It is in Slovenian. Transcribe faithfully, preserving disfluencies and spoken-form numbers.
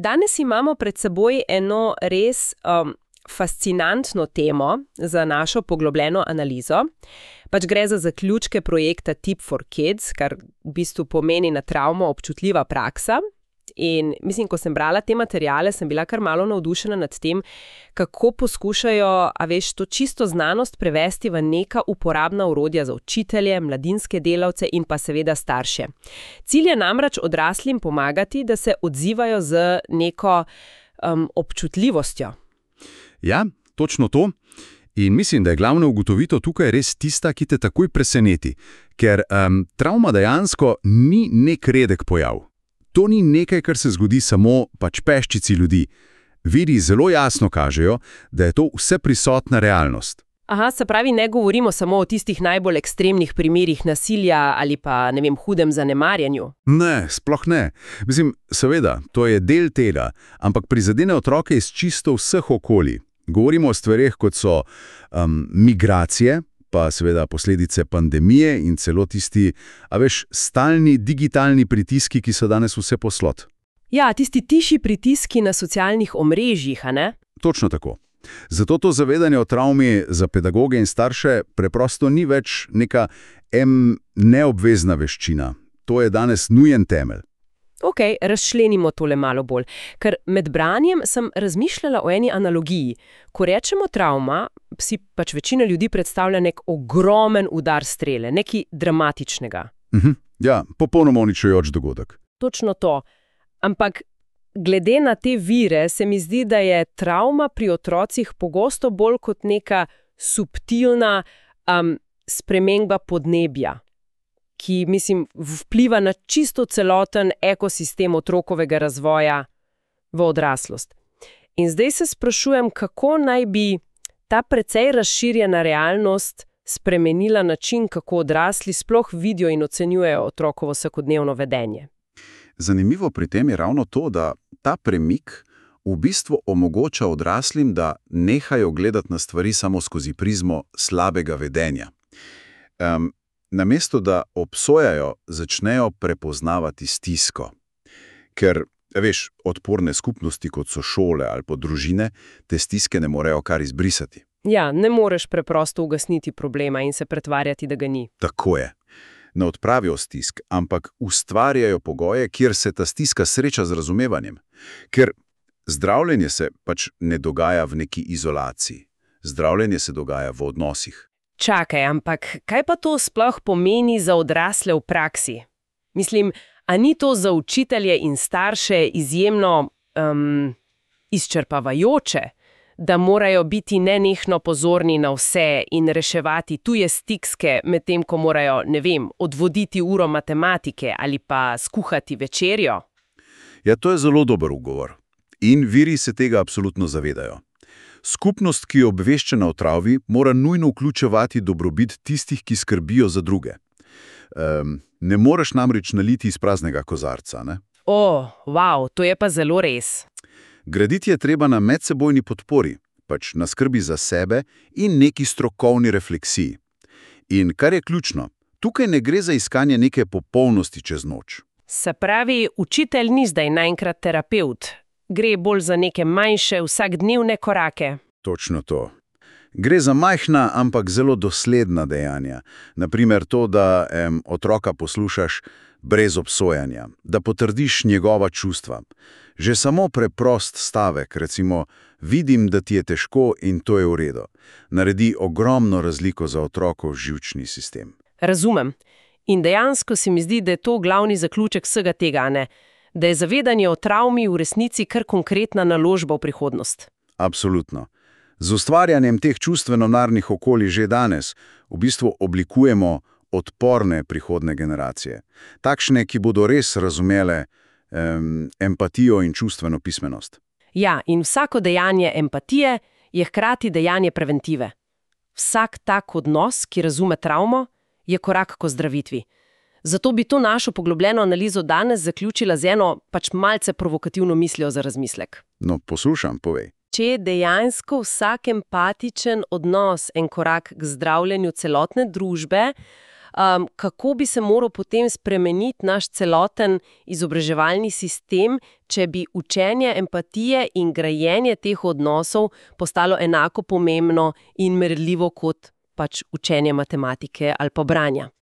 Danes imamo pred seboj eno res um, fascinantno temo za našo poglobljeno analizo. Pač gre za zaključke projekta Tip for Kids, kar v bistvu pomeni na travmo občutljiva praksa. In mislim, ko sem brala te materiale, sem bila kar malo navdušena nad tem, kako poskušajo, a veš, to čisto znanost prevesti v neka uporabna orodja za učitelje, mladinske delavce in pa seveda starše. Cilj je namreč odraslim pomagati, da se odzivajo z neko um, občutljivostjo. Ja, točno to. In mislim, da je glavna ugotovitev tukaj res tista, ki te takoj preseneti, ker um, travma dejansko ni nek redek pojav. To ni nekaj, kar se zgodi samo pač peščici ljudi. Viri zelo jasno kažejo, da je to vseprisotna realnost. Aha, se pravi, ne govorimo samo o tistih najbolj ekstremnih primerih nasilja ali pa, ne vem, hudem zanemarjanju. Ne, sploh ne. Mislim, seveda, to je del tega, ampak prizadene otroke iz čisto vseh okolij. Govorimo o stvareh, kot so um, migracije, pa seveda posledice pandemije in celo tisti, a veš, stalni digitalni pritiski, ki so danes vse poslod. Ja, tisti tiši pritiski na socialnih omrežjih, a ne? Točno tako. Zato to zavedanje o travmi za pedagoge in starše preprosto ni več neka em, neobvezna veščina. To je danes nujen temelj. Ok, razčlenimo tole malo bolj, ker med branjem sem razmišljala o eni analogiji. Ko rečemo travma, si pač večina ljudi predstavlja nek ogromen udar strele, nekaj dramatičnega. Mhm, ja, popolnoma uničujoč dogodek. Točno to. Ampak glede na te vire se mi zdi, da je travma pri otrocih pogosto bolj kot neka subtilna um, sprememba podnebja, ki, mislim, vpliva na čisto celoten ekosistem otrokovega razvoja v odraslost. In zdaj se sprašujem, kako naj bi ta precej razširjena realnost spremenila način, kako odrasli sploh vidijo in ocenjujejo otrokovo vsakodnevno vedenje. Zanimivo pri tem je ravno to, da ta premik v bistvu omogoča odraslim, da nehajo gledati na stvari samo skozi prizmo slabega vedenja. Um, Namesto da obsojajo, začnejo prepoznavati stisko. Ker, veš, odporne skupnosti, kot so šole ali pa družine, te stiske ne morejo kar izbrisati. Ja, ne moreš preprosto ugasniti problema in se pretvarjati, da ga ni. Tako je. Ne odpravijo stisk, ampak ustvarjajo pogoje, kjer se ta stiska sreča z razumevanjem. Ker zdravljenje se pač ne dogaja v neki izolaciji. Zdravljenje se dogaja v odnosih. Čakaj, ampak kaj pa to sploh pomeni za odrasle v praksi? Mislim, a ni to za učitelje in starše izjemno um, izčrpavajoče, da morajo biti nenehno pozorni na vse in reševati tuje stiske, medtem ko morajo, ne vem, odvoditi uro matematike ali pa skuhati večerjo? Ja, to je zelo dober ugovor. In viri se tega absolutno zavedajo. Skupnost, ki je obveščena o travmi, mora nujno vključevati dobrobit tistih, ki skrbijo za druge. Um, ne moreš namreč naliti iz praznega kozarca, ne? O, wow, to je pa zelo res. Graditi je treba na medsebojni podpori, pač na skrbi za sebe in neki strokovni refleksiji. In kar je ključno, tukaj ne gre za iskanje neke popolnosti čez noč. Se pravi, učitelj ni zdaj naenkrat terapevt. Gre bolj za neke manjše, vsakdnevne korake. Točno to. Gre za majhna, ampak zelo dosledna dejanja. Naprimer to, da em, otroka poslušaš brez obsojanja, da potrdiš njegova čustva. Že samo preprost stavek, recimo, vidim, da ti je težko in to je v redu, naredi ogromno razliko za otrokov živčni sistem. Razumem. In dejansko se mi zdi, da je to glavni zaključek vsega tega, ne? Da je zavedanje o travmi v resnici kar konkretna naložba v prihodnost. Absolutno. Z ustvarjanjem teh čustveno-narnih okolij že danes v bistvu oblikujemo odporne prihodne generacije. Takšne, ki bodo res razumele em, empatijo in čustveno pismenost. Ja, in vsako dejanje empatije je hkrati dejanje preventive. Vsak tak odnos, ki razume travmo, je korak k ozdravitvi. Zato bi to našo poglobljeno analizo danes zaključila z eno pač malce provokativno mislijo za razmislek. No, poslušam, povej. Če je dejansko vsak empatičen odnos en korak k zdravljenju celotne družbe, um, kako bi se moral potem spremeniti naš celoten izobraževalni sistem, če bi učenje empatije in grajenje teh odnosov postalo enako pomembno in merljivo kot pač učenje matematike ali pa branja.